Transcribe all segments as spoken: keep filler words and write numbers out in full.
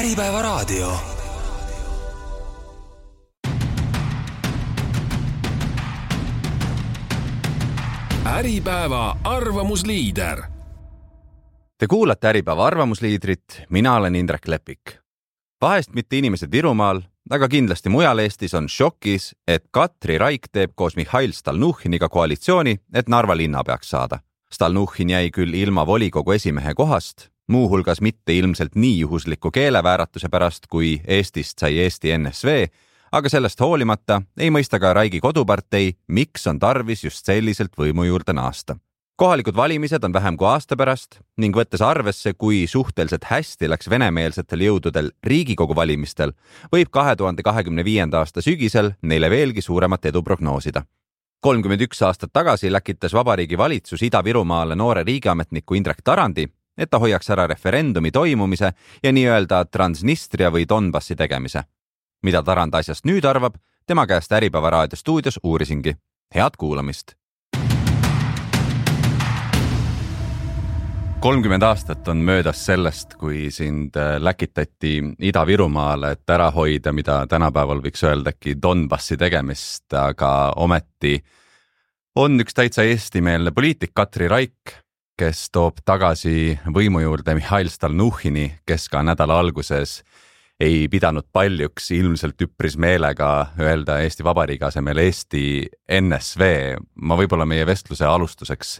Äripäeva raadio. Äripäeva arvamusliider. Te kuulate Äripäeva arvamusliidrit, mina olen Indrek Lepik. Vahest mitte inimesed Virumaal, aga kindlasti mujal Eestis on šokis, et Katri Raik teeb koos Mihhail Stalnuhhiniga koalitsiooni, et Narva linna peaks saada. Stalnuhhin jäi küll ilma volikogu esimehe kohast, muuhulgas mitte ilmselt nii juhusliku keelevääratuse pärast, kui Eestist sai Eesti N S V, aga sellest hoolimata ei mõista ka Raigi kodupartei, miks on tarvis just selliselt võimu juurde naasta. Kohalikud valimised on vähem kui aasta pärast ning võttes arvesse, kui suhteliselt hästi läks venemeelsetel jõududel Riigikogu valimistel, võib kahe tuhande kahekümne viienda aasta sügisel neile veelgi suuremat edu prognoosida. kolmkümmend üks aastat tagasi läkitas Vabariigi Valitsus Ida-Virumaale noore riigiametniku Indrek Tarandi, et ta hoiaks ära referendumi toimumise ja nii-öelda Transnistria või Donbassi tegemise. Mida Tarand asjast nüüd arvab, tema käest Äripäeva raadio stuudios uurisingi. Head kuulamist! kolmkümmend aastat on möödas sellest, kui sind läkitati Ida-Virumaale, et ära hoida, mida tänapäeval võiks öeldagi Donbassi tegemist, aga ometi on üks täitsa eestimeelne poliitik Katri Raik, kes toob tagasi võimu juurde Mihhail Stalnuhhini, kes ka nädala alguses ei pidanud paljuks ilmselt üpris meelega öelda Eesti Vabariigi asemel Eesti N S V. Ma võib-olla meie vestluse alustuseks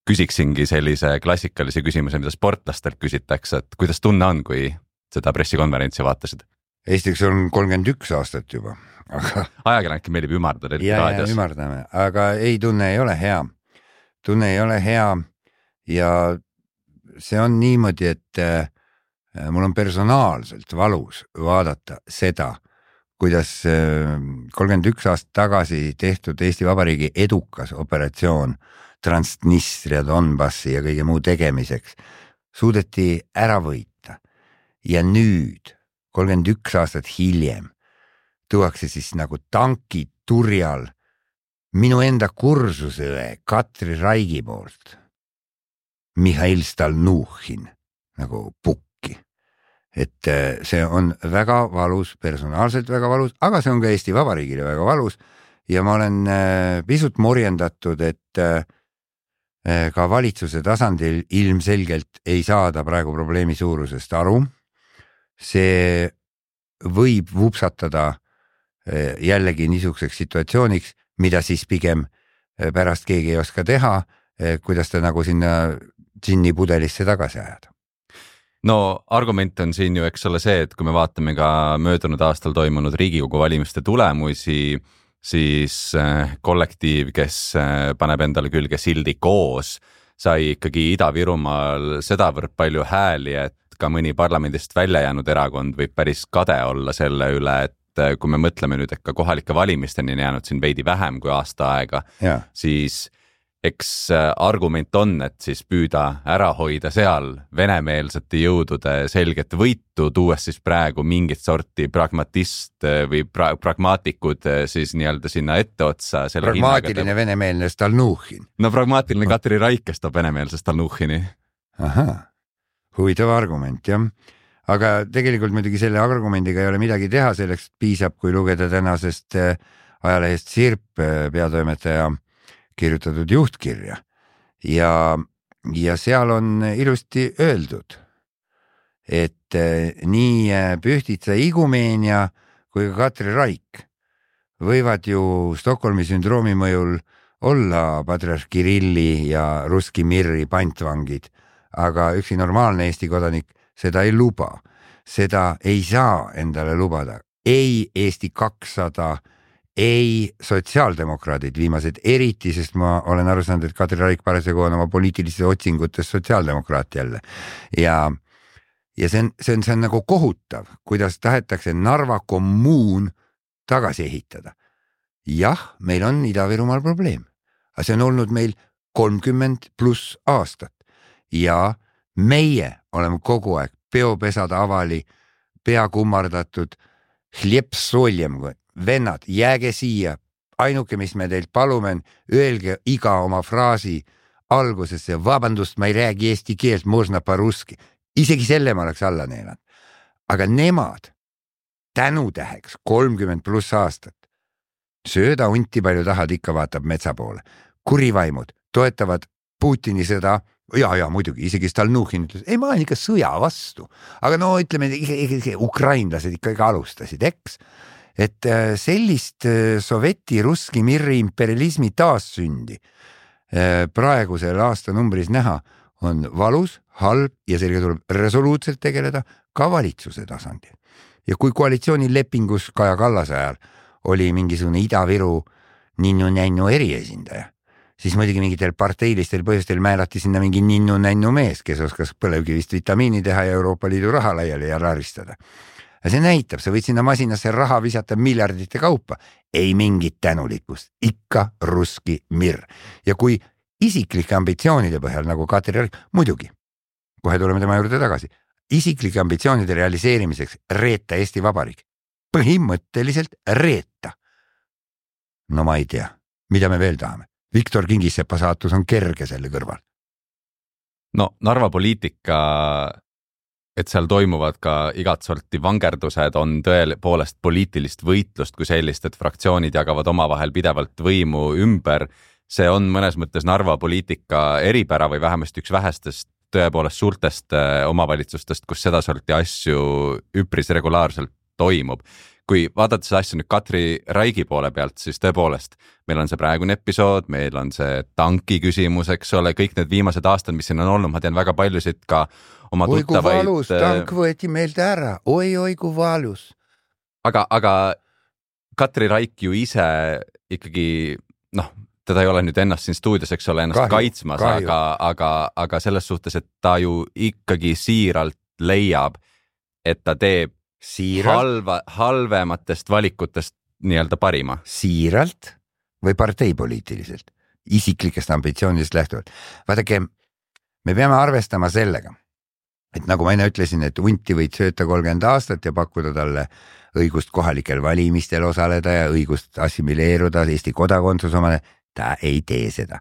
küsiksingi sellise klassikalise küsimuse, mida sportlastelt küsitakse, et kuidas tunne on, kui seda pressikonverentsi vaatasid? Eestiks on kolmkümmend üks aastat juba. Aga... Ajakirjanike meelib ümardada. Ja, ja ümardame, aga ei, tunne ei ole hea. Tunne ei ole hea ja see on niimoodi, et mul on personaalselt valus vaadata seda, kuidas kolmkümmend üks aastat tagasi tehtud Eesti Vabariigi edukas operatsioon Transnistria, Donbassi ja kõige muu tegemiseks suudeti ära võita. Ja nüüd, kolmkümmend üks aastat hiljem, tuuakse siis nagu tanki turjal minu enda kursusõe Katri Raigi poolt Mihhail Stalnuhhin nagu pukki. Et see on väga valus, personaalselt väga valus, aga see on ka Eesti Vabariigile väga valus ja ma olen pisut morjendatud, et ka valitsuse tasandil ilmselgelt ei saada praegu probleemi suurusest aru. See võib vupsatada jällegi niisuguseks situatsiooniks, mida siis pigem pärast keegi ei oska teha, kuidas ta nagu sinna džinni pudelisse tagasi ajada. No argument on siin ju eks ole see, et kui me vaatame ka möödunud aastal toimunud Riigikogu valimiste tulemusi, siis kollektiiv, kes paneb endale külge sildi koos, sai ikkagi Ida-Virumaal sedavõrd palju hääli, et ka mõni parlamendist välja jäänud erakond võib päris kade olla selle üle, et kui me mõtleme nüüd, et ka kohalike valimisteni jäänud siin veidi vähem kui aasta aega, ja. Siis eks argument on, et siis püüda ära hoida seal venemeelsete jõudude selget võitu, tuues siis praegu mingit sorti pragmatist või pra- pragmaatikud siis nii-öelda sinna etteotsa. Pragmaatiline hinnaga, venemeelne Stalnuhhin. No pragmaatiline Katri Raik, kes toob venemeelse Stalnuhhini. Aha, huvitav argument, jah. Aga tegelikult muidugi selle argumendiga ei ole midagi teha, selleks piisab, kui lugeda tänasest ajalehest Sirp peatoimetaja kirjutatud juhtkirja ja, ja seal on ilusti öeldud, et nii Pühtitsa Igumeenia kui ka Katri Raik võivad ju Stockholmi sündroomi mõjul olla patriarh Kirilli ja Ruski Mirri pantvangid, aga üksi normaalne Eesti kodanik seda ei luba. Seda ei saa endale lubada. Ei Eesti kakssada, ei sotsiaaldemokraadid viimased eriti, sest ma olen aru saanud, et Katri Raik parasjagu on oma poliitilises otsingutes sotsiaaldemokraat jälle. Ja, ja see on, see on, see on nagu kohutav, kuidas tahetakse Narva kommuun tagasi ehitada. Jah, meil on Ida-Virumaal probleem, aga see on olnud meil kolmkümmend pluss aastat ja meie oleme kogu aeg peopesad avali, pea kummardatud, hleps soljem, vennad, jääge siia, ainuke, mis me teilt palume, öelge iga oma fraasi algusesse, vabandust, ma ei räägi eesti keelt, možna paruski. Isegi selle ma oleks alla neelanud. aga nemad tänutäheks kolmkümmend pluss aastat sööda hunti palju tahad, ikka vaatab metsa poole. Kurivaimud toetavad Putini sõda. Ja, ja muidugi, isegi Stalnuhhin ütles, ei, ma olen ikka sõja vastu. Aga no ütleme, ukrainlased ikka alustasid, eks? Et sellist soveti ruski mirri imperialismi taassündi praegusel aastanumbris näha on valus, halb ja sellega tuleb resoluutselt tegeleda ka valitsuse tasandil. Ja kui koalitsioonilepingus Kaja Kallase ajal oli mingisugune Ida-Viru ninnu-nännu eriesindaja, siis muidugi mingitel parteilistel põhjustel määrati sinna mingi ninnu-nännu mees, kes oskas põlevkivist vitamiini teha ja Euroopa Liidu raha laiali ja laristada. Ja see näitab, sa võid sinna masinasse raha visata miljardite kaupa. Ei mingit tänulikkust, ikka ruski mirr. Ja kui isiklike ambitsioonide põhjal, nagu Katri Raik, muidugi, kohe tuleme tema juurde tagasi, isiklike ambitsioonide realiseerimiseks reeta Eesti Vabariik. Põhimõtteliselt reeta. No ma ei tea, mida me veel tahame. Viktor Kingissepa saatus on kerge selle kõrval. No Narva poliitika, et seal toimuvad ka igat sorti vangerdused, on tõepoolest poliitilist võitlust kui sellist, et fraktsioonid jagavad omavahel pidevalt võimu ümber. See on mõnes mõttes Narva poliitika eripära või vähemasti üks vähestest tõepoolest suurtest omavalitsustest, kus seda sorti asju üpris regulaarselt toimub. Kui vaadata see asja nüüd Katri Raigi poole pealt, siis tõepoolest meil on see praegune episood, meil on see tanki küsimus, eks ole, kõik need viimased aastad, mis siin on olnud, ma tean väga paljusid ka oma oi, tuttavaid. Oi kui valus, tank võeti meilt ära, oi, oi kui valus. Aga, aga Katri Raik ju ise ikkagi, noh, teda ei ole nüüd ennast siin stuudios, eks ole, ennast kahju, kaitsmas, kahju. Aga, aga, aga selles suhtes, et ta ju ikkagi siiralt leiab, et ta teeb siiralt halva, halvematest valikutest nii-öelda parima. Siiralt või parteipoliitiliselt, isiklikest ambitsioonidest lähtuvalt. Vaadake, me peame arvestama sellega, et nagu ma enne ütlesin, et hunti võid sööta kolmkümmend aastat ja pakkuda talle õigust kohalikel valimistel osaleda ja õigust assimileeruda Eesti kodakondsus omale, ta ei tee seda.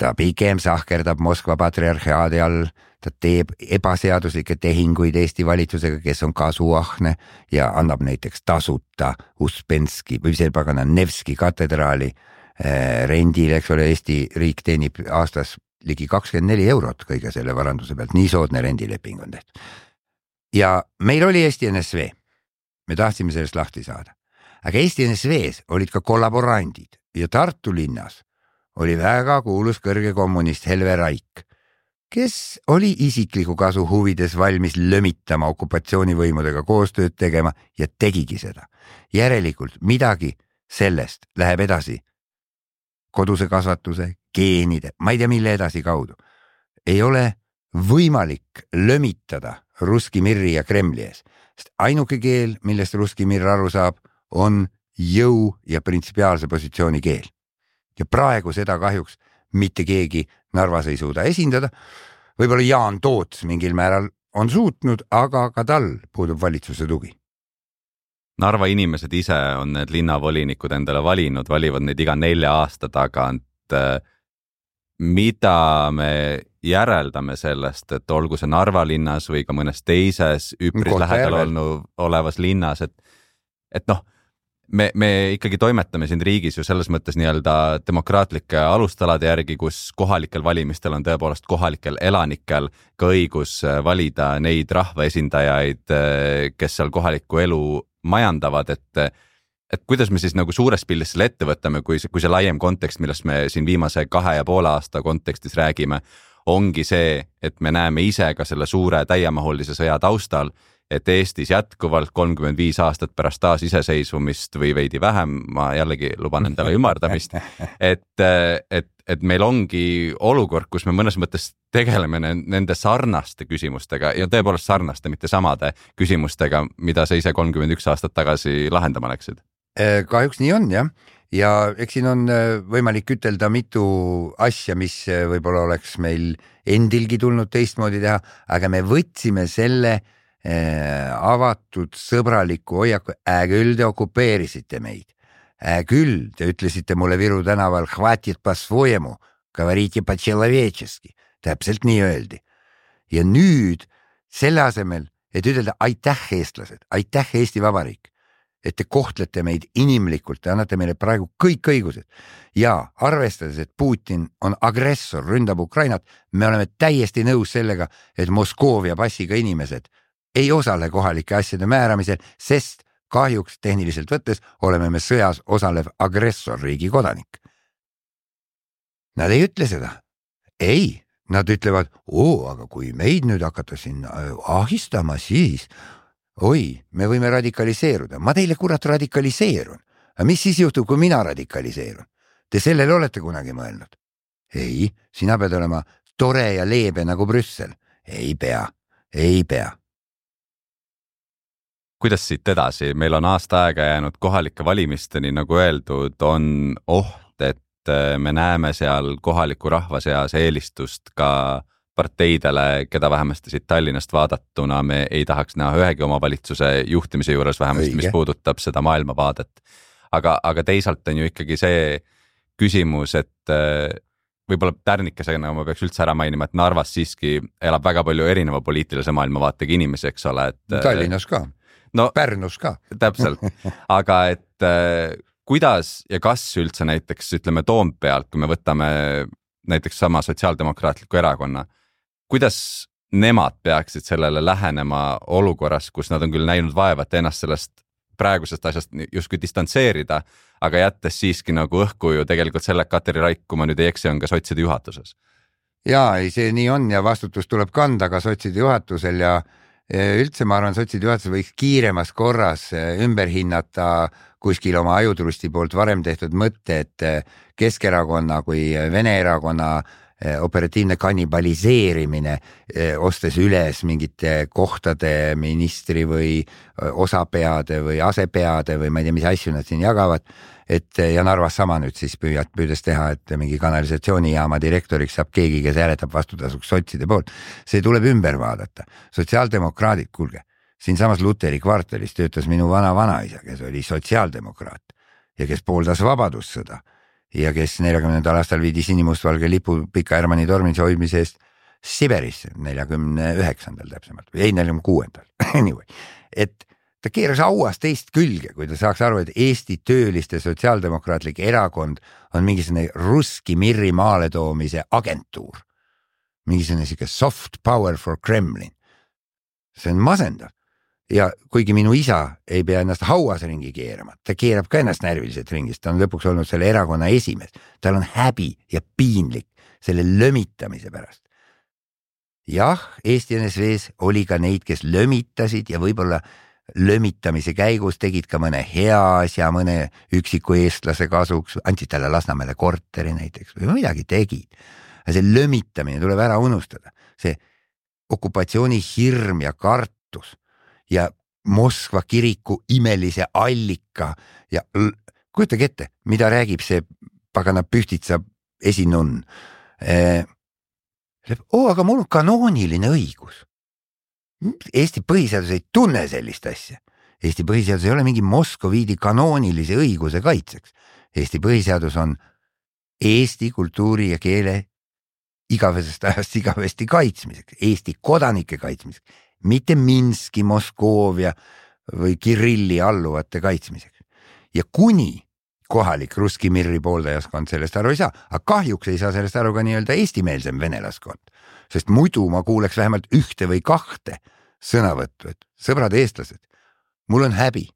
Ta pigem sahkerdab Moskva patriarhaadi all, ta teeb ebaseaduslikke tehinguid Eesti valitsusega, kes on kasuahne ja annab näiteks tasuta Uspenski või see pagana Nevski katedraali rendile, eks ole, Eesti riik teenib aastas ligi kakskümmend neli eurot kõige selle varanduse pealt, nii soodne rendileping on tehtud. Ja meil oli Eesti N S V, me tahtsime sellest lahti saada, aga Eesti N S V-s olid ka kollaborandid ja Tartu linnas oli väga kuulus kõrge kommunist Helve Raik, kes oli isikliku kasu huvides valmis lömitama okupatsioonivõimudega koostööd tegema ja tegigi seda. Järelikult midagi sellest läheb edasi koduse kasvatuse, geenide, ma ei tea mille edasi kaudu. Ei ole võimalik lömitada ruski mirri ja Kremli ees, sest ainuke keel, millest ruski mirr aru saab, on jõu ja printsipiaalse positsiooni keel. Ja praegu seda kahjuks mitte keegi Narvas ei suuda esindada. Võib-olla Jaan Toots mingil määral on suutnud, aga ka tal puudub valitsuse tugi. Narva inimesed ise on need linnavolinikud endale valinud, valivad neid iga nelja aasta tagant. Mida me järeldame sellest, et olgu see Narva linnas või ka mõnes teises üpris lähedal olnud, olevas linnas, et, et noh, Me, me ikkagi toimetame siin riigis ju selles mõttes nii-öelda demokraatlike alustalade järgi, kus kohalikel valimistel on tõepoolest kohalikel elanikel ka õigus valida neid rahvaesindajaid, kes seal kohalikku elu majandavad, et, et kuidas me siis nagu suures pildis selle ette võtame, kui see, kui see laiem kontekst, millest me siin viimase kahe ja poole aasta kontekstis räägime, ongi see, et me näeme ise ka selle suure täiemahulise sõja taustal, et Eestis jätkuvalt kolmkümmend viis aastat pärast taas iseseisvumist või veidi vähem, ma jällegi luban endale ümardamist, et, et, et meil ongi olukord, kus me mõnes mõttes tegeleme nende sarnaste küsimustega ja tõepoolest sarnaste, mitte samade küsimustega, mida sa ise kolmkümmend üks aastat tagasi lahendama läksid. Kahjuks nii on, jah. Ja eks siin on võimalik ütelda mitu asja, mis võib-olla oleks meil endilgi tulnud teistmoodi teha, aga me võtsime selle avatud sõbraliku hoiaku, ää küll te okupeerisite meid. Ää küll te ütlesite mulle Viru tänaval hvatit по-своему, говорите по-человечески. Täpselt nii öeldi. Ja nüüd selle asemel, et ütelda aitäh eestlased, aitäh Eesti Vabariik, et te kohtlete meid inimlikult, te annate meile praegu kõik õigused ja arvestades, et Putin on agressor, ründab Ukrainat, me oleme täiesti nõus sellega, et Moskoovia passiga inimesed ei osale kohalike asjade määramisel, sest kahjuks tehniliselt võttes oleme me sõjas osalev agressorriigi kodanik. Nad ei ütle seda. Ei, nad ütlevad, oo, aga kui meid nüüd hakata sinna ahistama, siis oi, me võime radikaliseeruda. Ma teile kurat radikaliseerun. Aga mis siis juhtub, kui mina radikaliseerun? Te sellele olete kunagi mõelnud? Ei, sina pead olema tore ja leebe nagu Brüssel. Ei pea, ei pea. Kuidas siit edasi? Meil on aasta aega jäänud kohalike valimisteni, nagu öeldud, on oht, et me näeme seal kohaliku rahva seas eelistust ka parteidele, keda vähemasti siit Tallinnast vaadatuna me ei tahaks näha ühegi omavalitsuse juhtimise juures vähemasti, mis puudutab seda maailmavaadet. Aga, aga teisalt on ju ikkagi see küsimus, et võib-olla tärnikesena ma peaks üldse ära mainima, et Narvas siiski elab väga palju erineva poliitilise maailmavaatega inimesi, eks ole. Et, Tallinnas ka, no, Pärnus ka. Täpselt, aga et kuidas ja kas üldse näiteks, ütleme Toompealt, kui me võtame näiteks sama sotsiaaldemokraatliku erakonna, kuidas nemad peaksid sellele lähenema olukorras, kus nad on küll näinud vaeva, et ennast sellest praegusest asjast justkui distantseerida, aga jättes siiski nagu õhku ju tegelikult selle Katri Raik, kui ma nüüd ei eksi, on ka sotside juhatuses. Jaa, ei, see nii on ja vastutus tuleb kanda ka sotside juhatusel ja üldse ma arvan, sotside juhatus võiks kiiremas korras ümber hinnata kuskil oma ajutrusti poolt varem tehtud mõtte, et Keskerakonna kui Vene erakonna operatiivne kannibaliseerimine, ostes üles mingite kohtade ministri või osapeade või asepeade või ma ei tea, mis asju nad siin jagavad, et ja Narvas sama nüüd siis püüad püüdes teha, et mingi kanalisatsioonijaama direktoriks saab keegi, kes hääletab vastutasuks sotside poolt. See tuleb ümber vaadata. Sotsiaaldemokraadid, kuulge, siin samas Luteri kvartalis töötas minu vana vanaisa, kes oli sotsiaaldemokraat ja kes pooldas vabadussõda ja kes neljakümnendal aastal viidi sinimustvalge lipu Pika Hermanni tormise hoidmise eest Siberisse, neljakümne üheksandal täpsemalt, või ei, neljakümne kuuendal. Anyway, et ta keeras auas teist külge, kui ta saaks aru, et Eesti tööliste sotsiaaldemokraatlik erakond on mingisugune ruski mirri maale toomise agentuur. Mingisugune siuke soft power for Kremlin. See on masendav. Ja kuigi minu isa ei pea ennast hauas ringi keerama, ta keerab ka ennast närviliselt ringist, ta on lõpuks olnud selle erakonna esimees. Tal on häbi ja piinlik selle lömitamise pärast. Jah, Eesti N S V-s oli ka neid, kes lömitasid ja võib-olla lömitamise käigus tegid ka mõne hea asja, mõne üksiku eestlase kasuks, andsid talle Lasnamäele korteri näiteks või midagi tegid. Ja see lömitamine tuleb ära unustada. See okupatsiooni hirm ja kartus ja Moskva kiriku imelise allika ja kujutage ette, mida räägib see pagana Pühtitsa esinunn. Oo, aga mul on kanooniline õigus. Eesti põhiseadus ei tunne sellist asja. Eesti põhiseadus ei ole mingi Moskoviidi kanoonilise õiguse kaitseks. Eesti põhiseadus on Eesti kultuuri ja keele igavesest ajast igavesti kaitsmiseks, Eesti kodanike kaitsmiseks, mitte Minski, Moskoovia või Kirilli alluvate kaitsmiseks. Ja kuni kohalik ruski mirri pooldajaskond sellest aru ei saa, aga kahjuks ei saa sellest aru ka nii-öelda eestimeelsem venelaskond, sest muidu ma kuuleks vähemalt ühte või kahte sõnavõttu, et sõbrad eestlased, mul on häbi,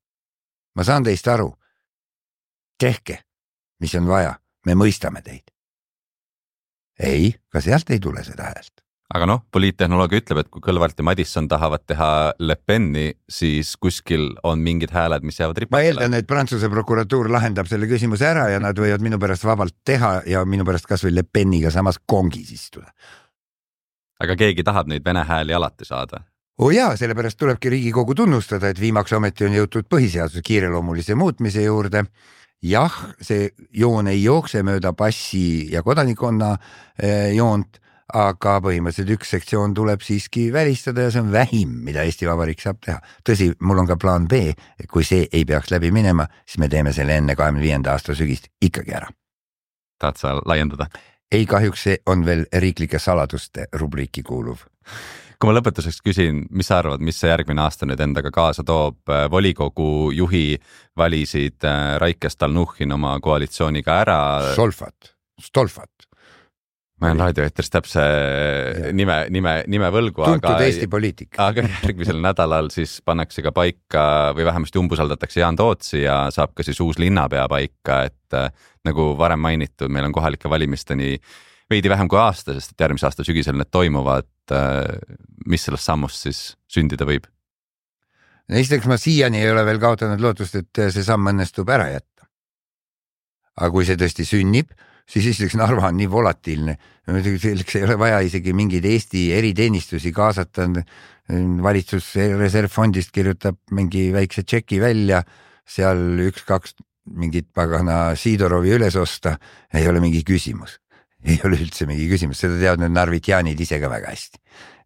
ma saan teist aru, tehke, mis on vaja, me mõistame teid. Ei, ka sealt ei tule seda häält. Aga noh, poliittehnoloogia ütleb, et kui Kõlvart ja Madisson tahavad teha Le Peni, siis kuskil on mingid hääled, mis jäävad ripatele. Ma eeldan, et Prantsuse prokuratuur lahendab selle küsimuse ära ja nad võivad minu pärast vabalt teha ja minu pärast kas või Le Peniga samas kongis istuda. Aga keegi tahab neid vene hääli alati saada? Oo jaa, sellepärast tulebki Riigikogu tunnustada, et viimaks ometi on jõutud põhiseaduse kiireloomulise muutmise juurde. Jah, see joon ei jookse mööda passi ja kodanikonna joont, aga põhimõtteliselt üks sektsioon tuleb siiski välistada ja see on vähim, mida Eesti Vabariik saab teha. Tõsi, mul on ka plaan B, kui see ei peaks läbi minema, siis me teeme selle enne kahekümne viienda aasta sügist ikkagi ära. Tahad sa laiendada? Ei, kahjuks see on veel riiklike saladuste rubriiki kuuluv. Kui ma lõpetuseks küsin, mis sa arvad, mis see järgmine aasta nüüd endaga kaasa toob? Volikogu juhi valisid Raike Stalnuhhin oma koalitsiooniga ära. Stolfat, Stolfat. Ma olen raadioeetris täpse ja. nime, nime, nime võlgu, tuntud aga, Eesti poliitik. aga järgmisel nädalal siis pannakse ka paika või vähemasti umbusaldatakse Jaan Tootsi ja saab ka siis uus linnapea paika, et äh, nagu varem mainitud, meil on kohalike valimisteni veidi vähem kui aasta, sest et järgmise aasta sügisel need toimuvad. Äh, mis sellest sammust siis sündida võib? Esiteks ma siiani ei ole veel kaotanud lootust, et see samm õnnestub ära jätta. Aga kui see tõesti sünnib, siis esiteks Narva on nii volatiilne. Selleks ei ole vaja isegi mingeid Eesti eriteenistusi kaasata. Valitsus reservfondist kirjutab mingi väikse tšeki välja, seal üks-kaks mingit pagana Siidorovi üles osta. Ei ole mingi küsimus. Ei ole üldse mingi küsimus. Seda teavad need narvitjaanid ise ka väga hästi.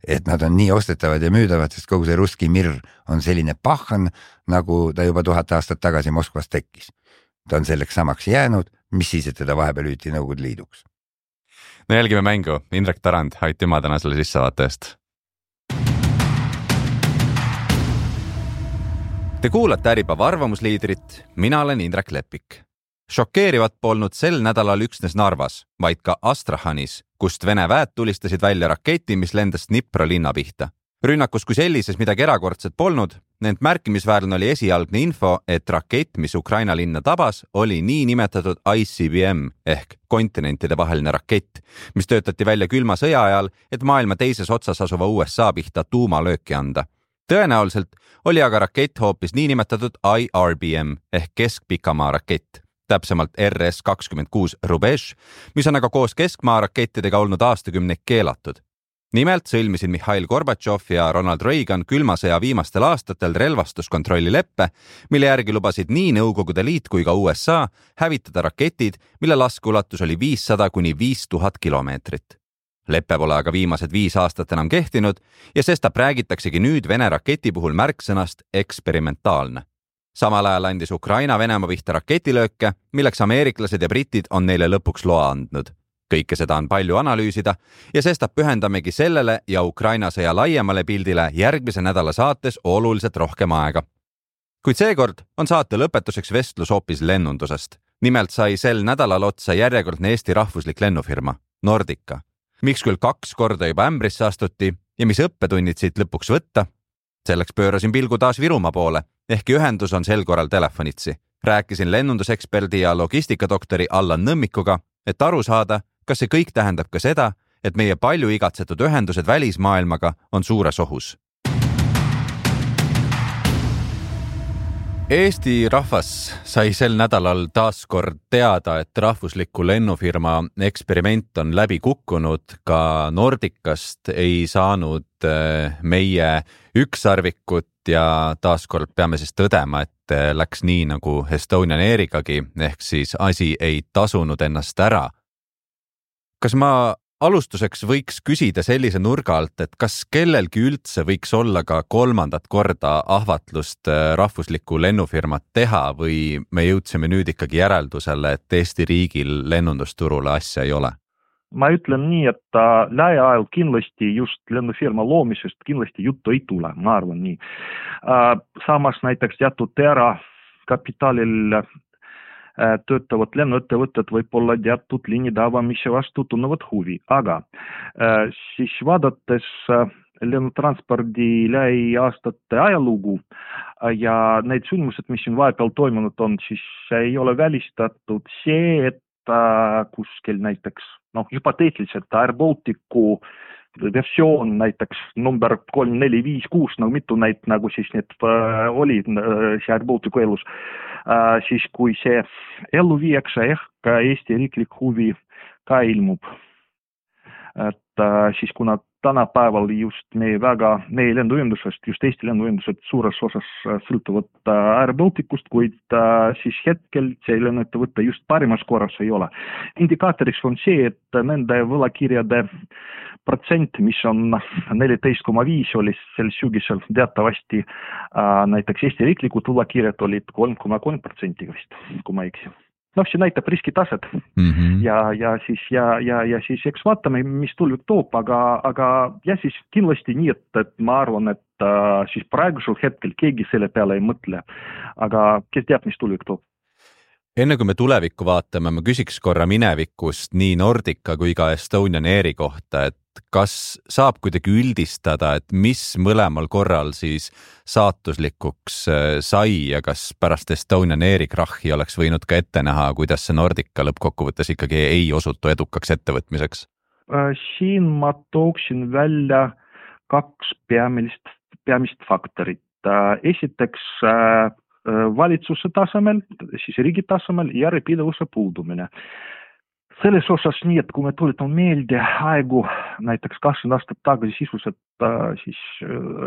Et nad on nii ostetavad ja müüdavad, sest kogu see ruski mirr on selline pahan, nagu ta juba tuhat aastat tagasi Moskvas tekkis. Ta on selleks samaks jäänud, mis siis, et teda vahepeal hüüti Nõukogude Liiduks. No jälgime mängu. Indrek Tarand, aitüma täna selle sissevaate eest. Te kuulate Äripäeva arvamusliidrit, mina olen Indrek Lepik. Šokeerivat polnud sel nädalal üksnes Narvas, vaid ka Astrahanis, kust Vene väed tulistasid välja raketi, mis lendas Dnipro linna pihta. Rünnakus kui sellises midagi erakordset polnud, ent märkimisväärne oli esialgne info, et rakett, mis Ukraina linna tabas, oli nii nimetatud I C B M ehk kontinentide vaheline rakett, mis töötati välja külma sõja ajal, et maailma teises otsas asuva U S A pihta tuumalööki anda. Tõenäoliselt oli aga rakett hoopis nii nimetatud I R B M ehk keskpikamaa rakett, täpsemalt R S kakskümmend kuus Rubež, mis on aga koos keskmaa rakettidega olnud aastakümneid keelatud. Nimelt sõlmisid Mihhail Gorbatšov ja Ronald Reagan külma sõja viimastel aastatel relvastuskontrolli leppe, mille järgi lubasid nii Nõukogude Liit kui ka U S A hävitada raketid, mille laskeulatus oli viissada kuni viis tuhat kilomeetrit. Leppe pole aga viimased viis aastat enam kehtinud ja sestap räägitaksegi nüüd Vene raketi puhul märksõnast eksperimentaalne. Samal ajal andis Ukraina Venemaa pihta raketilööke, milleks ameeriklased ja britid on neile lõpuks loa andnud. Kõike seda on palju analüüsida ja sestap pühendamegi sellele ja Ukraina sõja laiemale pildile järgmise nädala saates oluliselt rohkem aega. Kuid seekord on saate lõpetuseks vestlus hoopis lennundusest. Nimelt sai sel nädalal otsa järjekordne Eesti rahvuslik lennufirma, Nordica. Miks küll kaks korda juba ämbrisse astuti ja mis õppetunnid siit lõpuks võtta? Selleks pöörasin pilgu taas Virumaa poole, ehkki ühendus on sel korral telefonitsi. Rääkisin lennunduseksperdi ja logistikadoktori Allan Nõmmikuga, et aru saada, kas see kõik tähendab ka seda, et meie palju igatsetud ühendused välismaailmaga on suures ohus. Eesti rahvas sai sel nädalal taas kord teada, et rahvusliku lennufirma eksperiment on läbi kukkunud. Ka Nordicast ei saanud meie ükssarvikut ja taas kord peame siis tõdema, et läks nii nagu Estonian Airigagi, ehk siis asi ei tasunud ennast ära. Kas ma alustuseks võiks küsida sellise nurga alt, et kas kellelgi üldse võiks olla ka kolmandat korda ahvatlust rahvuslikku lennufirmat teha või me jõudsime nüüd ikkagi järeldusele, et Eesti riigil lennundusturule asja ei ole? Ma ütlen nii, et lähiajal kindlasti just lennufirma loomisest kindlasti juttu ei tule, ma arvan nii. Samas näiteks jätud ära kapitalil töötavad lennuettevõtted võib-olla teatud liinide avamise vastu tunnevad huvi, aga äh, siis vaadates äh, lennutranspordi lähiaastate ajalugu äh, ja need sündmused, mis siin vahepeal toimunud on, siis ei ole välistatud see, et äh, kuskil näiteks, noh, hüpoteetiliselt Air Balticu versioon näiteks number kolm, neli, viis, kuus, nagu mitu näit, nagu siis need äh, oli äh, see Air Balticu elus, äh, siis kui see ellu viiakse, ehk Eesti riiklik huvi ka ilmub. Et äh, siis kuna tänapäeval just meie väga, meie lenduühendusest, just Eesti lenduühendused suures osas sõltuvad Air Balticust, kuid äh, siis hetkel see lennuettevõte just parimas korras ei ole. Indikaatoriks on see, et nende võlakirjade protsent, mis on neliteist koma viis oli sel sügisel teatavasti, äh, näiteks Eesti riiklikud võlakirjad olid kolm koma kolm protsenti vist, kui ma eksi. noh, see näitab riskitaset mm -hmm. ja, ja siis, ja, ja, ja siis eks vaatame, mis tulvik toob, aga, aga ja siis kindlasti nii, et, et ma arvan, et äh, siis praegusel hetkel keegi selle peale ei mõtle, aga kes teab, mis tulvik toob. Enne kui me tulevikku vaatame, ma küsiks korra minevikust nii Nordica kui ka Estonian Airi kohta, et kas saab kuidagi üldistada, et mis mõlemal korral siis saatuslikuks sai ja kas pärast Estonian Airi krahhi oleks võinud ka ette näha, kuidas see Nordica lõppkokkuvõttes ikkagi ei osutu edukaks ettevõtmiseks? Siin ma tooksin välja kaks peamist, peamist faktorit. Esiteks valitsuse tasemel, siis riigi tasemel järjepidevuse puudumine. Selles osas nii, et kui me tuletame meelde aegu, näiteks kakskümmend aastat tagasi sisuliselt siis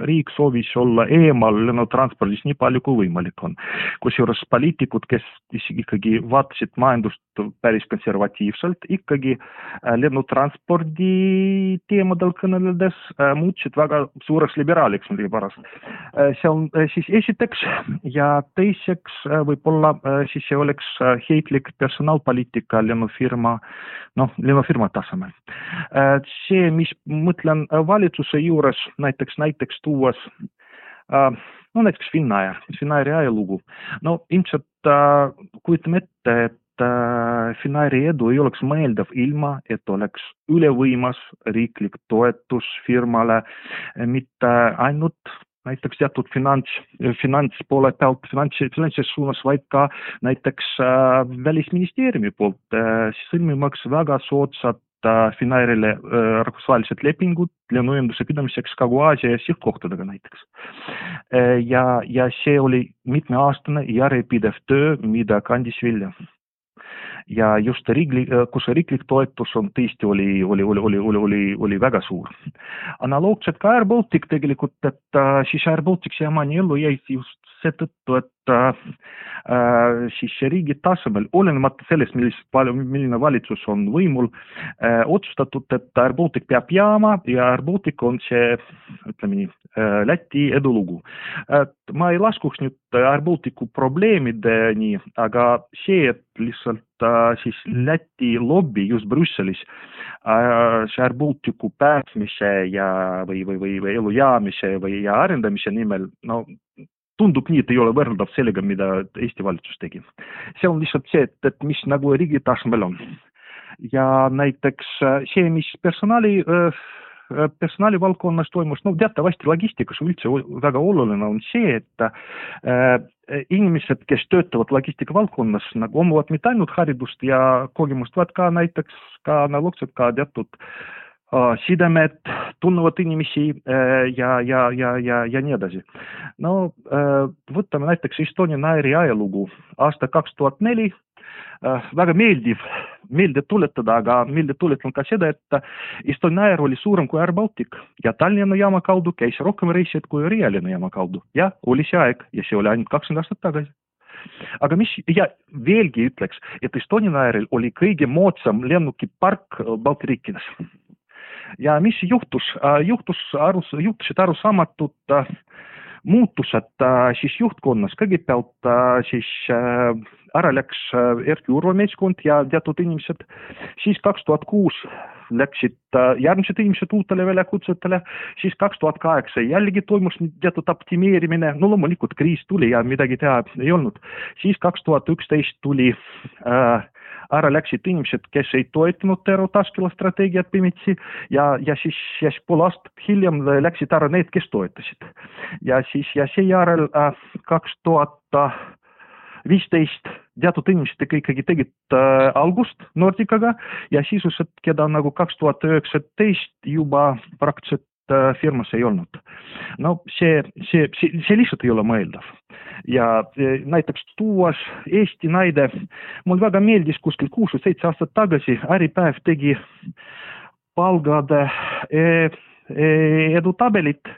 riik soovis olla eemal lennutranspordis nii palju kui võimalik on. Kusjuures poliitikud, kes ikkagi vaatasid majandust päris konservatiivselt, ikkagi lennutranspordi teemadel kõneledes muutsid väga suureks liberaaliks midagi pärast. See on siis esiteks ja teiseks võib-olla siis see oleks heitlik personaalpoliitika lennufirma noh, lennufirma tasemel. See, mis mõtlen valitsuse juures, näiteks, näiteks tuues, no näiteks Finnair, Finnairi ajalugu. No ilmselt kujutame ette, et Finnairi edu ei oleks mõeldav ilma, et oleks ülevõimas riiklik toetus firmale, mitte ainult näiteks teatud finants, finantspoole pealt, finantses suunas, vaid ka näiteks äh, välisministeeriumi poolt äh, sõlmimaks väga soodsad äh, Finnairile äh, rahvusvahelised lepingud lennuühenduse pidamiseks Kagu-Aasia ja sihtkohtadega näiteks. Äh, ja, ja see oli mitmeaastane järjepidev töö, mida kandis vilja. Ja just riiklik, kus riiklik toetus on tõesti oli, oli, oli, oli, oli, oli, oli väga suur. Analoogselt ka Air Baltic tegelikult, et äh, siis Air Baltic siiamaani ellu jäi just seetõttu, et äh, siis riigi tasemel, olenemata sellest, milline valitsus on võimul, äh, otsustatud, et Air Baltic peab jääma ja Air Baltic on see, ütleme nii, äh, Läti edulugu. Et ma ei laskuks nüüd Air Balticu probleemideni, aga see, et lihtsalt äh, siis Läti lobby just Brüsselis äh, see Air Balticu pääsmise ja või, või, või, või elu jäämise või ja arendamise nimel, no tundub nii, et ei ole võrreldav sellega, mida Eesti valitsus tegi. See on lihtsalt see, et, et mis nagu riigi tasemel on. Ja näiteks see, mis personaali, personaali valdkonnas toimus, no teatavasti logistikas üldse väga oluline on see, et äh, inimesed, kes töötavad logistika valdkonnas, nagu omavad mitte ainult haridust ja kogemust, vaid ka näiteks ka analoogselt ka teatud sidemed, tunnevad inimesi ja, ja, ja, ja, ja nii edasi. No võtame näiteks Estonian Airi ajalugu aasta kaks tuhat neli, väga meeldiv, meeldiv tuletada, aga meeldiv tuletan ka seda, et Estonian Air oli suurem kui Air Baltic ja Tallinna jaama kaudu käis rohkem reisijad kui Riia lennujaama kaudu. Ja oli see aeg ja see oli ainult kakskümmend aastat tagasi. Aga mis, ja veelgi ütleks, et Estonian Airil oli kõige moodsam lennukipark Balti riikides. Ja mis juhtus? Juhtus arus, juhtusid arusaamatud äh, muutused äh, siis juhtkonnas. Kõigepealt äh, siis äh, ära läks äh, Erki Urva meeskond ja teatud inimesed. Siis kaks tuhat kuus läksid äh, järgmised inimesed uutele väljakutsetele. Siis kaks tuhat kaheksa jällegi toimus teatud optimeerimine. No loomulikult kriis tuli ja midagi teha ei olnud. Siis kaks tuhat üksteist tuli äh, ära läksid inimesed, kes ei toetanud Tero Taskila strateegiat pimitsi ja, ja siis, ja siis pool aastat hiljem läksid ära need, kes toetasid. Ja siis ja seejärel äh, kaks tuhat viisteist teatud inimesed ikkagi tegid äh, algust Nordicaga ja sisuliselt, keda nagu kaks tuhat üheksateist juba praktiliselt äh, firmas ei olnud. No see, see, see, see lihtsalt ei ole mõeldav. Ja näiteks tuuas Eesti näide, mul väga meeldis kuskil kuus või seitse aastat tagasi, Äripäev tegi palgade edutabelit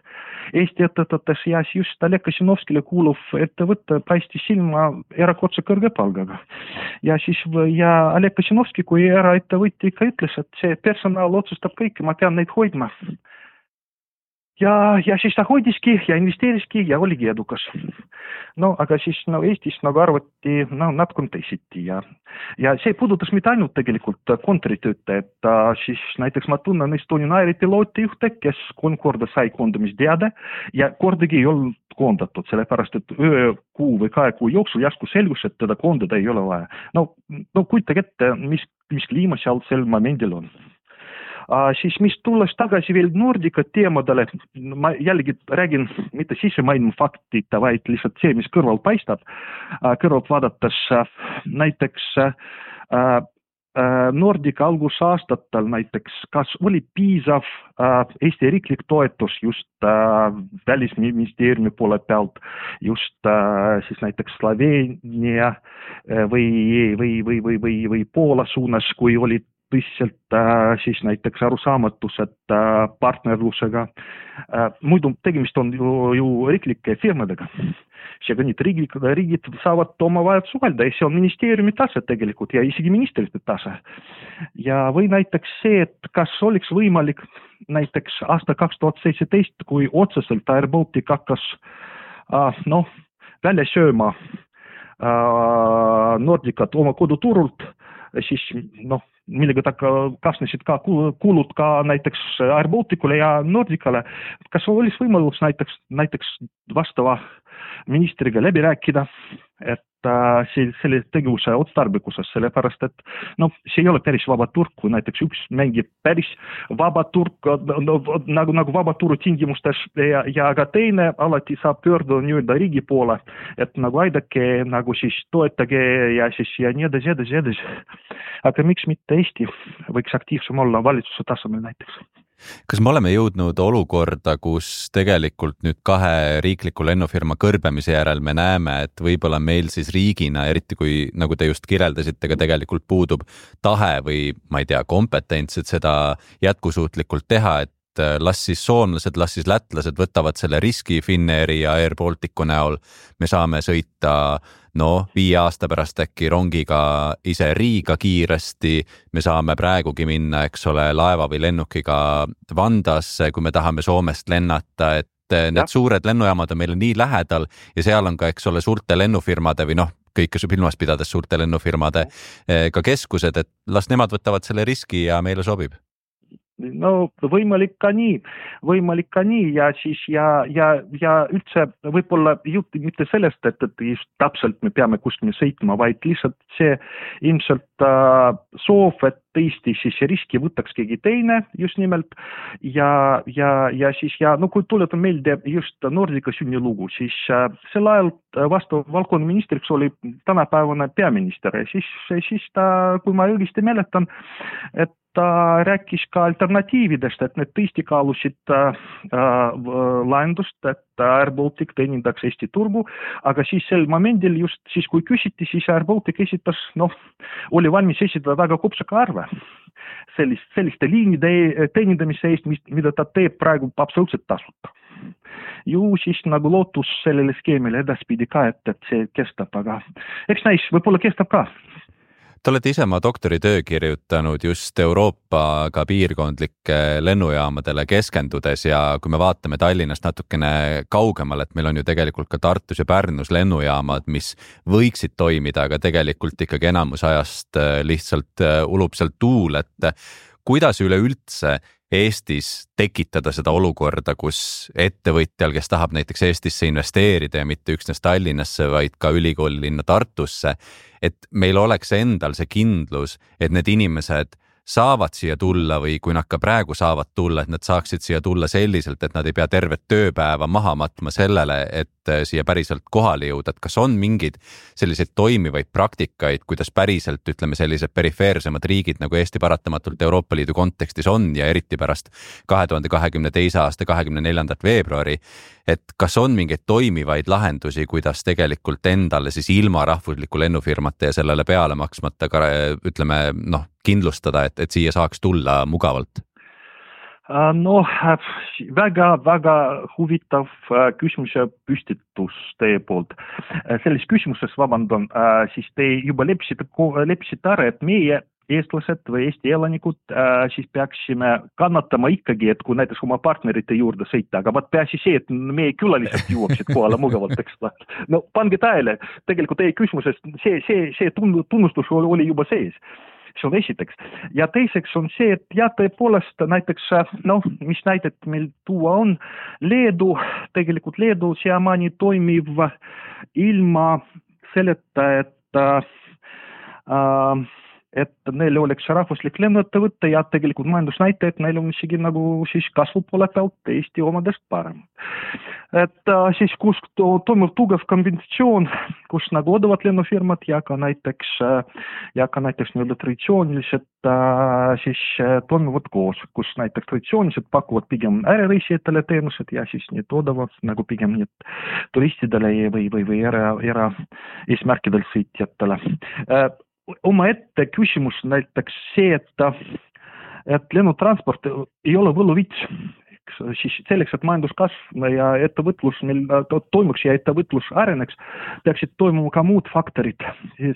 Eesti ettevõtetes ja just Oleg Kasinovskile kuuluv ettevõte paistis silma erakordse kõrge palgaga. Ja siis ja Oleg Kasinovski kui eraettevõtja ikka ütles, et see personal otsustab kõike, ma pean neid hoidma. ja, ja siis ta hoidiski ja investeeriski ja oligi edukas. No aga siis no Eestis nagu arvati no, natukene teisiti ja, ja see puudutas mitte ainult tegelikult kontoritöötajad, siis näiteks ma tunnen Estonian Airi pilootjuhte, kes kolm korda sai koondamisteade ja kordagi ei olnud koondatud, sellepärast et öö kuu või kahe kuu jooksul järsku selgus, et teda koondada ei ole vaja. No, no kujutage ette, mis, mis kliima seal sel momendil on. Uh, siis mis tulles tagasi veel Nordica teemadele, ma jällegi räägin mitte sissemaailma faktita, vaid lihtsalt see, mis kõrval paistab. Uh, kõrvalt vaadates uh, näiteks uh, uh, Nordica algusaastatel näiteks, kas oli piisav uh, Eesti riiklik toetus just uh, välisministeeriumi poole pealt, just uh, siis näiteks Sloveenia uh, või, või, või, või, või, või Poola suunas, kui olid tõsiselt äh, siis näiteks arusaamatused äh, partnerlusega. Äh, muidu tegemist on ju, ju riiklike firmadega. Seega nüüd riigid, riigid saavad oma vajad suhelda ja see on ministeeriumi tase tegelikult ja isegi ministrite tase. Ja või näiteks see, et kas oleks võimalik näiteks aasta kaks tuhat seitseteist, kui otseselt Air Baltic hakkas äh, noh, välja sööma äh, Nordicat oma koduturult, siis noh, millega ta kasnesid ka kulud ka näiteks Air Balticule ja Nordicale. Kas oleks võimalus näiteks, näiteks vastava ministriga läbi rääkida, et äh, selle tegevuse otstarbekusest, sellepärast et no, see ei ole päris vaba turg, kui näiteks üks mängib päris vaba turg, no, nagu, nagu vaba turu tingimustes ja, ja ka teine alati saab pöörduda nii-öelda riigi poole, et nagu aidake, nagu siis toetage ja siis ja nii edasi, edasi, edasi. Aga miks mitte Eesti võiks aktiivsem olla valitsuse tasemel näiteks? Kas me oleme jõudnud olukorda, kus tegelikult nüüd kahe riikliku lennufirma kõrbemise järel me näeme, et võib-olla meil siis riigina, eriti kui, nagu te just kirjeldasite, ka tegelikult puudub tahe või ma ei tea, kompetents, et seda jätkusuutlikult teha, et las siis soomlased, las siis lätlased võtavad selle riski Finnairi ja Air Balticu näol. Me saame sõita no viie aasta pärast äkki rongiga ise Riiga kiiresti. Me saame praegugi minna, eks ole, laeva või lennukiga Vandasse, kui me tahame Soomest lennata, et need ja. Suured lennujaamad on meile nii lähedal ja seal on ka, eks ole, suurte lennufirmade või noh, kõike silmas pidades suurte lennufirmade ka keskused, et las nemad võtavad selle riski ja meile sobib. No võimalik ka nii, võimalik ka nii ja siis ja, ja, ja üldse võib-olla jutti mitte sellest, et, et just täpselt me peame kuskil sõitma, vaid lihtsalt see ilmselt äh, soov, et tõesti siis riski võtaks keegi teine just nimelt ja, ja, ja siis ja no kui tuletan meelde just Nordica sünnilugu, siis äh, sel ajal vastav valdkonnaministriks oli tänapäevane peaminister ja siis, siis ta, kui ma õigesti mäletan, et ta rääkis ka alternatiividest, et need tõesti kaalusid äh, lahendust, et Air Baltic teenindaks Eesti turgu, aga siis sel momendil just siis, kui küsiti, siis Air Baltic esitas, noh, oli valmis esitada väga kopsaka arve sellist, selliste liinide teenindamise eest, mida ta teeb praegu absoluutselt tasuta. Ju siis nagu lootus sellele skeemile edaspidi ka, et, et see kestab, aga eks näis, võib-olla kestab ka. Te olete ise oma doktoritöö kirjutanud just Euroopa ka piirkondlike lennujaamadele keskendudes ja kui me vaatame Tallinnast natukene kaugemal, et meil on ju tegelikult ka Tartus ja Pärnus lennujaamad, mis võiksid toimida, aga tegelikult ikkagi enamus ajast lihtsalt ulub sealt tuul, et kuidas üleüldse Eestis tekitada seda olukorda, kus ettevõtjal, kes tahab näiteks Eestisse investeerida ja mitte üksnes Tallinnasse, vaid ka ülikooli linna Tartusse, et meil oleks endal see kindlus, et need inimesed saavad siia tulla või kui nad ka praegu saavad tulla, et nad saaksid siia tulla selliselt, et nad ei pea tervet tööpäeva maha matma sellele, et siia päriselt kohale jõuda, et kas on mingid selliseid toimivaid praktikaid, kuidas päriselt, ütleme, sellised perifeersemad riigid nagu Eesti paratamatult Euroopa Liidu kontekstis on ja eriti pärast kahe tuhande kahekümne teise aasta kahekümne neljandat veebruari, et kas on mingeid toimivaid lahendusi, kuidas tegelikult endale siis ilma rahvusliku lennufirmata ja sellele peale maksmata, ütleme, noh, kindlustada, et, et siia saaks tulla mugavalt? No, väga, väga huvitav küsimuse püstitus teie poolt. Selles küsimuses, vabandan, siis te juba lepsite, lepsite ära, et meie eestlased või Eesti elanikud, siis peaksime kannatama ikkagi, et kui näiteks oma partnerite juurde sõita, aga vaat peasi see, et meie külalised jõuaksid kohale mugavalt, eks. No pange tähele, tegelikult teie küsimusest see, see, see tunnustus oli juba sees. See on esiteks. Ja teiseks on see, et ja tõepoolest näiteks, noh, mis näidet meil tuua on, Leedu, tegelikult Leedu siiamaani toimiv ilma selleta, et äh, et neil oleks rahvuslik lennuettevõte ja tegelikult majandusnäitajad, neil on isegi nagu siis kasvu poole pealt Eesti omadest parem. Et äh, siis kus toimub tugev kombinatsioon, kus nagu odavad lennufirmad ja ka näiteks, ja ka näiteks nii-öelda traditsioonilised äh, siis äh, toimivad koos, kus näiteks traditsioonilised pakuvad pigem ärireisijatele teenused ja siis need odavad nagu pigem need turistidele või, või, või era, era eesmärkidel sõitjatele. Äh, oma ette küsimus näiteks see, et, et lennutransport ei ole võluvits. Siis selleks, et majanduskasv ja ettevõtlus meil toimuks ja ettevõtlus areneks, peaksid toimuma ka muud faktorid.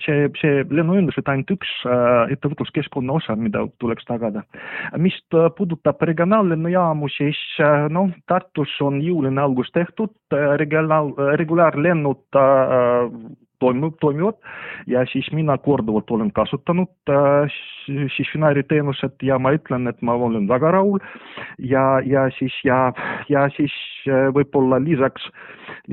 See, see lennuühendused ainult üks ettevõtluskeskkonna osa, mida tuleks tagada. Mis puudutab regionaallennujaamu, siis no, Tartus on jõuline algus tehtud, regionaal, regulaarlennud Toimivad, toimivad ja siis mina korduvalt olen kasutanud äh, siis Finnairi teenused ja ma ütlen, et ma olen väga rahul ja, ja siis, ja, ja siis äh, võib-olla lisaks,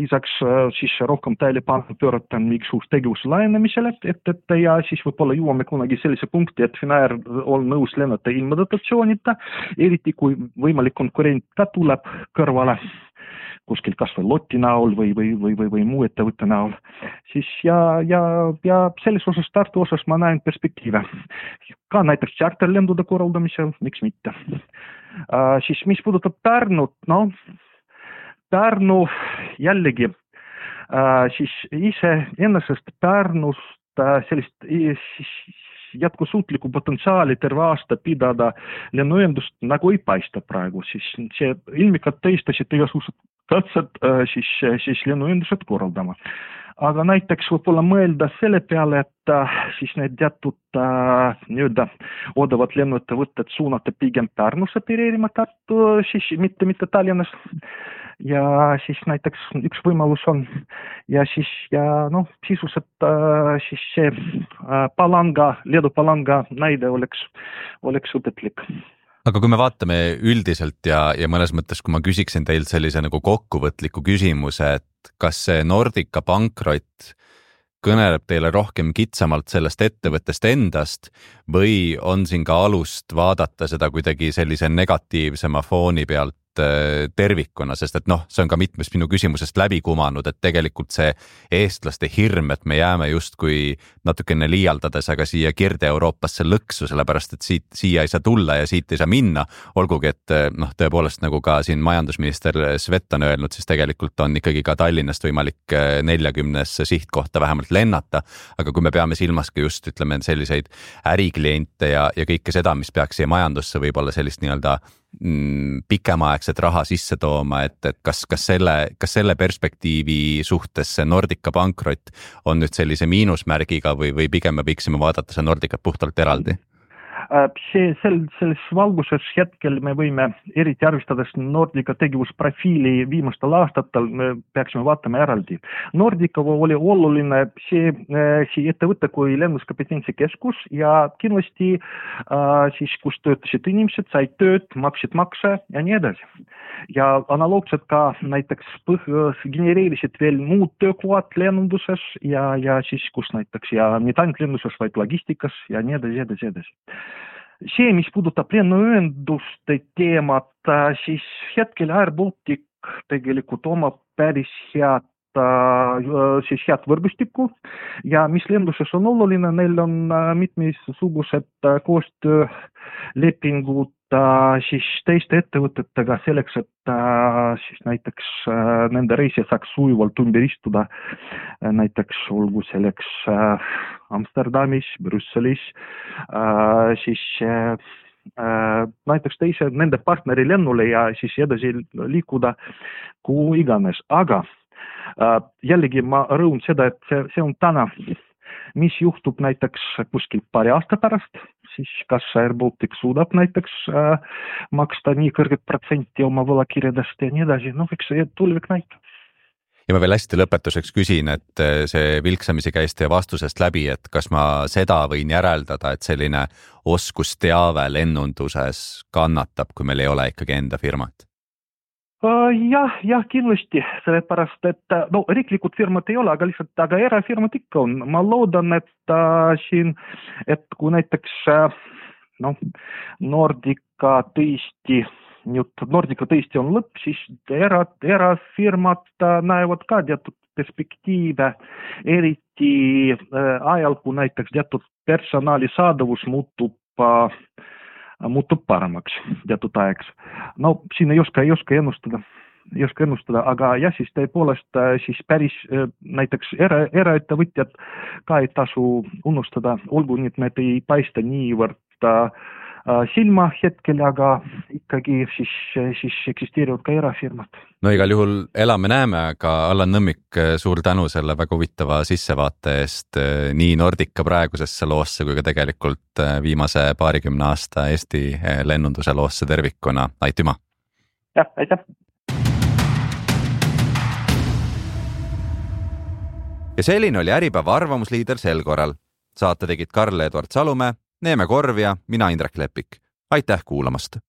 lisaks äh, siis rohkem tähelepanu pööratan mingisuguse tegevuse laienemisele, et, et ja siis võib-olla jõuame kunagi sellise punkti, et Finnair on nõus lennata ilma dotatsioonita, eriti kui võimalik konkurent ka tuleb kõrvale kuskil kas või lotti näol või, või, või, või, või muu ettevõtte näol, siis ja, ja, ja selles osas Tartu osas ma näen perspektiive. Ka näiteks charterlendude korraldamisel, miks mitte. Uh, siis mis puudutab Pärnut, no Pärnu jällegi, uh, siis ise ennast Pärnust uh, sellist siis jätkusuutliku potentsiaali terve aasta pidada lennuühendust nagu ei paista praegu, siis see ilmikad tõistasid igasugused katsed siis, siis lennuühendused korraldama. Aga näiteks võib-olla mõelda selle peale, et siis need teatud äh, nii-öelda odavad lennuettevõtted suunata pigem Pärnusse opereerima Tartu, siis mitte, mitte Tallinnas. Ja siis näiteks üks võimalus on ja siis ja noh, sisuliselt äh, siis see äh, Palanga, Leedu Palanga näide oleks, oleks õpetlik. Aga kui me vaatame üldiselt ja, ja mõnes mõttes, kui ma küsiksin teilt sellise nagu kokkuvõtliku küsimuse, et kas see Nordica pankrot kõneleb teile rohkem kitsamalt sellest ettevõttest endast või on siin ka alust vaadata seda kuidagi sellise negatiivsema fooni pealt tervikuna, sest et noh, see on ka mitmes minu küsimusest läbi kumanud, et tegelikult see eestlaste hirm, et me jääme justkui natukene liialdades, aga siia Kirde-Euroopasse lõksu, sellepärast et siit, siia ei saa tulla ja siit ei saa minna, olgugi et noh, tõepoolest nagu ka siin majandusminister Svet on öelnud, siis tegelikult on ikkagi ka Tallinnast võimalik neljakümnesse sihtkohta vähemalt lennata, aga kui me peame silmas ka just, ütleme, selliseid ärikliente ja, ja kõike seda, mis peaks siia majandusse võib-olla sellist nii-öelda pikemaaegset raha sisse tooma, et, et kas, kas, selle, kas selle perspektiivi suhtes see Nordica pankrot on nüüd sellise miinusmärgiga või, või pigem me võiksime vaadata see Nordicat puhtalt eraldi? See, sel, selles valguses hetkel me võime eriti arvestades Nordica tegevusprofiili viimastel aastatel, me peaksime vaatama eraldi. Nordica oli oluline see, see ettevõte kui lennuskompetentsikeskus ja kindlasti äh, siis, kus töötasid inimesed, said tööd, maksid makse ja nii edasi. Ja analoogselt ka näiteks põh, genereerisid veel muud töökohad lennunduses ja, ja siis, kus näiteks ja mitte ainult lennunduses, vaid logistikas ja nii edasi, edasi, edasi. See, mis puudutab lennuühenduste teemat, siis hetkel Air Baltic tegelikult omab päris head, siis head võrgustikku ja mis lenduses on oluline, neil on mitmesugused koostöölepingud siis teiste ettevõtetega selleks, et siis näiteks nende reisija saaks sujuvalt ümber istuda, näiteks olgu selleks Amsterdamis, Brüsselis, siis näiteks teise nende partneri lennule ja siis edasi liikuda kuhu iganes. Aga jällegi ma rõhun seda, et see, see on täna, mis juhtub näiteks kuskil paari aasta pärast, siis kas Air Baltic suudab näiteks äh, maksta nii kõrget protsenti oma võlakirjadest ja nii edasi, noh, eks see tulevik näitab. Ja ma veel hästi lõpetuseks küsin, et see vilksamisi käis teie vastusest läbi, et kas ma seda võin järeldada, et selline oskusteave lennunduses kannatab, kui meil ei ole ikkagi enda firmat? Jah, jah, kindlasti, sellepärast, et no riiklikud firmad ei ole, aga lihtsalt, aga erafirmad ikka on. Ma loodan, et äh, siin, et kui näiteks äh, no, Nordica tõesti, nüüd Nordica tõesti on lõpp, siis era, erafirmad äh, näevad ka teatud perspektiive, eriti äh, ajal, kui näiteks teatud personali saadavus muutub äh, muutub paremaks teatud aegaks. No siin ei oska, ei oska ennustada, ei oska ennustada, aga jah, siis tõepoolest siis päris näiteks era, eraettevõtjad ka ei tasu unustada, olgu nii, et need ei paista niivõrd äh, silma hetkel, aga ikkagi siis, siis eksisteerivad ka erafirmad. No igal juhul elame-näeme, aga Allan Nõmmik, suur tänu selle väga huvitava sissevaate eest nii Nordica praegusesse loosse kui ka tegelikult viimase paarikümne aasta Eesti lennunduse loosse tervikuna. Aitüma! Jah, aitäh! Ja selline oli Äripäeva arvamusliider sel korral. Saate tegid Karl-Edward Salumäe, Neeme Korv ja mina Indrek Lepik. Aitäh kuulamast!